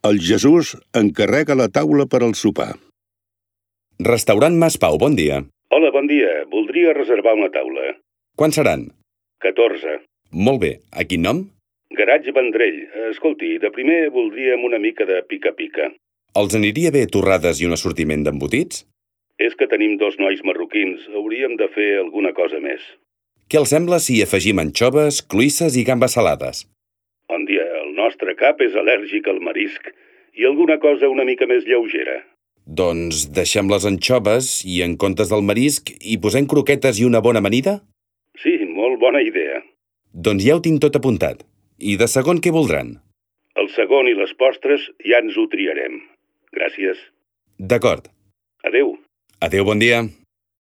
El Jesús encarrega la taula per al sopar. Restaurant Mas Pau, bon dia. Hola, bon dia. Voldria reservar una taula. Quan seran? 14. Molt bé. A quin nom? Garatge Vendrell. Escolti, de primer voldríem una mica de pica-pica. Els aniria bé torrades i un assortiment d'embotits? És que tenim 2 nois marroquins. Hauríem de fer alguna cosa més. Què els sembla si afegim anxoves, cloïsses i gambes salades? Bon dia. El nostre cap és al·lèrgic al marisc i alguna cosa una mica més lleugera. Doncs deixem les anxoves i en comptes del marisc hi posem croquetes i una bona amanida? Sí, molt bona idea. Doncs ja ho tinc tot apuntat. I de segon què voldran? El segon i les postres ja ens ho triarem. Gràcies. D'acord. Adéu. Adéu, bon dia.